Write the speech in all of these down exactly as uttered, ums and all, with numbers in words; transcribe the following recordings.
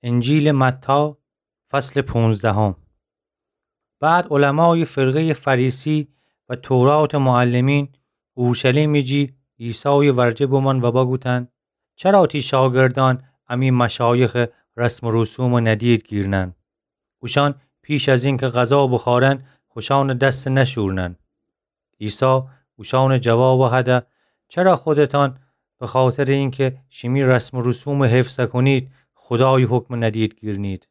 انجیلٚ متی، فصلٚ پونزدهم. بعد علمایٚ فرقهیٚ فریسی و توراتٚ معلمین اورشلیمٚ جی عیسایٚ ورجه بمأن و بگوتأن: چرا تی شاگردأن امی مشایخٚ رسم و رسومَ ندید گیرنن؟ اوشأن پیش از اینکه غذا بوخوأرن، خوشأنٚ دسَ نشورنن. عیسی اوشأنٚ جوابَ هده: چرا خودتأن به خاطرٚ اینکه شیمی رسم و رسومَ حفظ کنید، خودایٚ حکمَ ندید گیرنید؟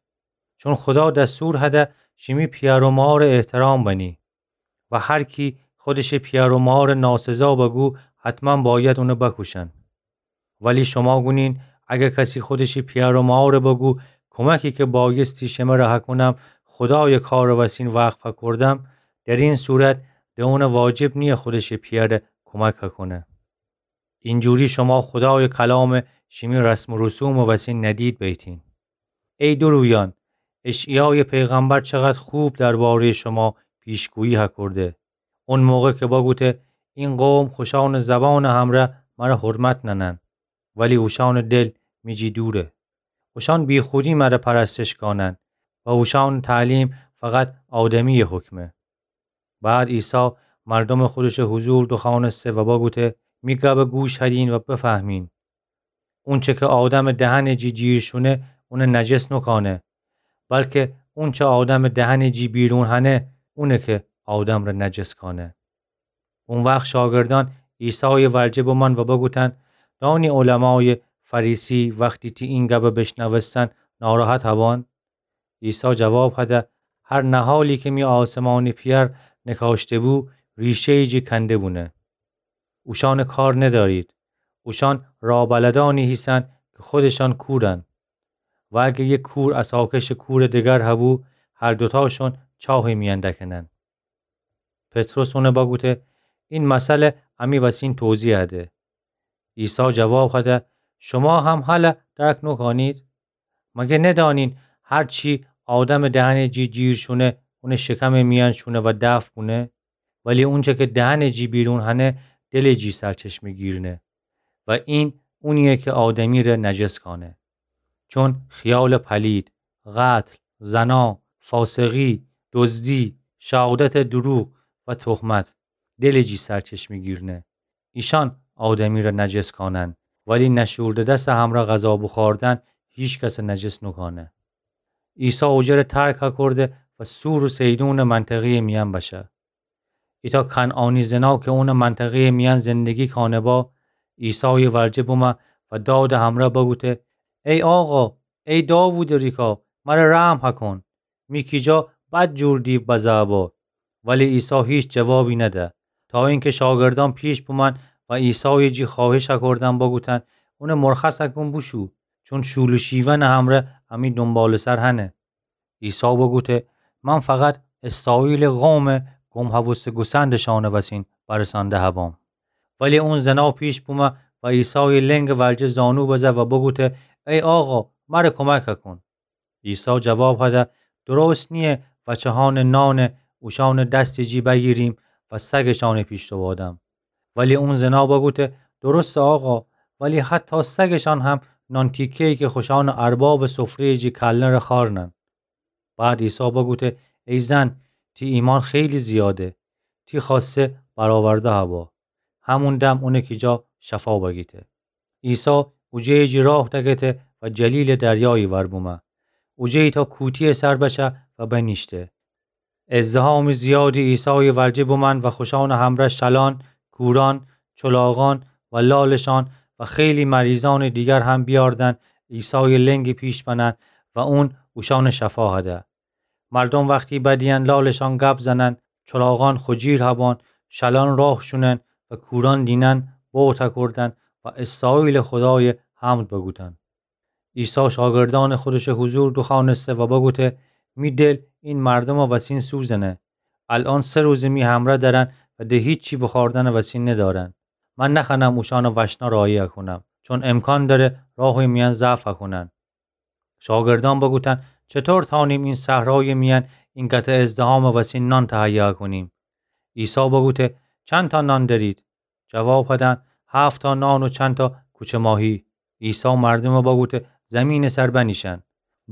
چون خودا دستور هده شیمی پیأر و مارَ احترام بنی و هر کی خودشٚ پیأر و مارَ ناسزا بگو، حتماً باید اونَ بکوشن. ولی شوما گونین، اگر کسی خودشٚ پیأر و مارَ بگو، کمکی که بایستی شمره هکونم خودایٚ کارٚ وسین وقف هکردم، در این صورت ده اونَ واجب نییه خودشٚ پیأرَ کمک هکونه. اینجوری شوما خودایٚ کلامَ شیمی رسم و رسومٚ وسین ندید بیتین. ای دورویأن، اشعیایٚ پیغمبر چقدر خوب دربارهیٚ شوما پیشگویی هکرده. اون موقع که بگوته: این قوم خوشأنٚ زبانٚ همرأ مره حرمت ننن، ولی اوشأنٚ دل می جی دوره. اوشأن بیخودی مره پرستش کانن و اوشأنٚ تعلیم فقط آدمییٚ حکمه. بعد عیسی مردومٚ خودشٚ حضور دوخوأنسته و بگوته: می گبَ گوش هدین و بفهمین. اونچه که آدمٚ دهنٚ جی جیر شونه، اونَ نجس نوکانه، بلکه اونچه آدمٚ دهنٚ جی بیرون هنه، اونه که آدمٚ ره نجس کانه. او وخت شاگردأن عیسایٚ ورجه بمأن و بگوتأن: دانی علمایٚ فریسی وختی تی این گبَ بیشنوستن، ناراحت هبأن؟ عیسی جواب هده: هر نهالی که می آسمانٚ پیأر نکاشته‌بو، ریشهیٚ جی کنده بونه. اوشأنَ کار ندأرید. اوشأن رابلدأنی هیسن که خودشأن کورن. و اگر یک کور اساکشٚ کورٚ دگر هبو، هر دوتاشون چاهٚ میأن دکنن. پطرس اونَ بگوته: این مثلَ امی وسین توضیح هده. عیسی جواب هده: شوما هم هلأ درک نوکانید؟ مگر ندانین هر چی آدمٚ دهنٚ جی جیر شونه، اونٚ شکمٚ میأن شونه و دفع کونه؟ ولی اونچه که دهنٚ جی بیرون هنه، دلٚ جی سرچشمه گیرنه و این اونییه که آدمی ره نجس کانه. چون خیالٚ پلید، قتل، زنا، فاسقی، دزدی، شهادتٚ دروغ و تهمت دلٚ جی سرچشمه گیرنه. ایشأن آدمی ره نجس کانن، ولی نشورده‌دسٚ همرأ غذا بوخوردن هیکسَ نجس نوکانه. عیسی اوجه ره ترک هکرده و صور و صیدونٚ منطقهیٚ میأن بشه. ایتأ کنعانی زنا که اونٚ منطقهیٚ میأن زندگی کانه‌با، عیسایٚ ورجه بومه و دادٚ همرأ بگوته: ای آقا، ای داوودٚ ریکا، مره رحم هکون. می کیجا بد جور دیو بزه‌با. ولی عیسی هیچ جوابی نده، تا اینکه شاگردأن پیش بومأن و عیسایٚ جی خوأهش هکردن بگوتن: اونَ مرخص هکون بوشو، چون شول و شیونٚ همرأ امی دونبالٚ‌سر هنه. عیسی بگوته: من فقط اسرائیلٚ قومٚ گم هبوسته گوسندٚ شأنٚ وسین برسانده هبام. ولی اون زنا پیش بومه و عیسایٚ لنگٚ ورجه زانو بزه و بگوته: ای آقا، مره کمک هکون. عیسی جواب هده: درست نییه وچه‌هأنٚ نانَ اوشأنٚ دستٚ جی بگیریم و سگٚ شأنٚ پیش دوبادم. ولی اون زنا بگوته: درسته آقا، ولی حتی سگٚ شأن هم نان تیکه‌یی که خوشأنٚ اربابٚ سفره‌یٚ جی کلنه ره خوأرنن. بعد عیسی بگوته: ای زن، تی ایمأن خیلی زیاده، تی خوأسته برآورده هبا. همون دم اونٚ کیجا شفا بگیته. عیسی اوجه‌یٚ جی راه دکته و جلیلٚ دریایٚ ور بومه. اوجه ایتأ کوتی‌یٚ سر بشه و بنیشته. ازدحامٚ زیادی عیسایٚ ورجه بومأن و خوشأنٚ همرأ شلأن، کورأن، چلاغأن و لالٚ شأن و خیلی مریضأنٚ دیگر هم بیأردن عیسایٚ لنگٚ پیش بنن و اون اوشأنٚ شفا هده. مردوم وختی بدییأن لالٚ شأن گب زنن، چلاغأن خو جیر هبان، شلأن راه شونن و کورأن دینن بوت هکردن و اسرائیلٚ خودایَ حمد بگوتن. عیسی شاگردأنٚ خودشٚ حضور دوخوأنسته و بگوته: می دل این مردومٚ وسین سوزنه. الأن سه روزه می همرأ درن و ده هیچی بوخوردنٚ وسین ندارن. من نخوأنم اوشأنٚ وشنا راهی هکونم، چون امکان دأره راهٚ میأن ضعف هکونن. شاگردأن بگوتن: چطور تأنیم این صحرایٚ میأن اینقدر ازدحامٚ وسین نان تهیه هکونیم؟ عیسی بگوته: چندتا نان دأرید؟ جواب هدن: هفت‌تا نان و چندتا کوچه ماهی. عیسی مردومَ بگوته: زمینٚ سر بنیشن.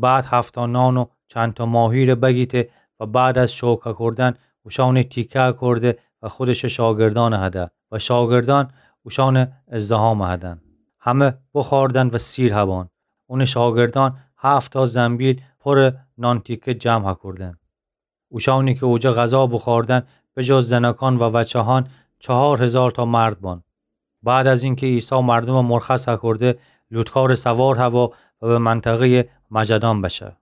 بعد هفتا نان و چندتا ماهی‌ره بگیته و بعد از شکر هکردن اوشانه تیکه هکرده و خودشٚ شاگردانه هده و شاگردان اوشانٚ ازدحامه هدن. همه بخوردن و سیر هبان. اونٚ شاگردان هفتا زنبیل پورٚ نان تیکه جمع هکردن. اوشانی که اوجا غذا بوخوردن، به جز زنکان و وچه‌هان، چهار هیزارتا مرد بان. بعد از اینکه عیسی مردومه مرخص هکرده، لوطکارٚ سوار هوا و به منطقه‌یٚ مجدان بشه.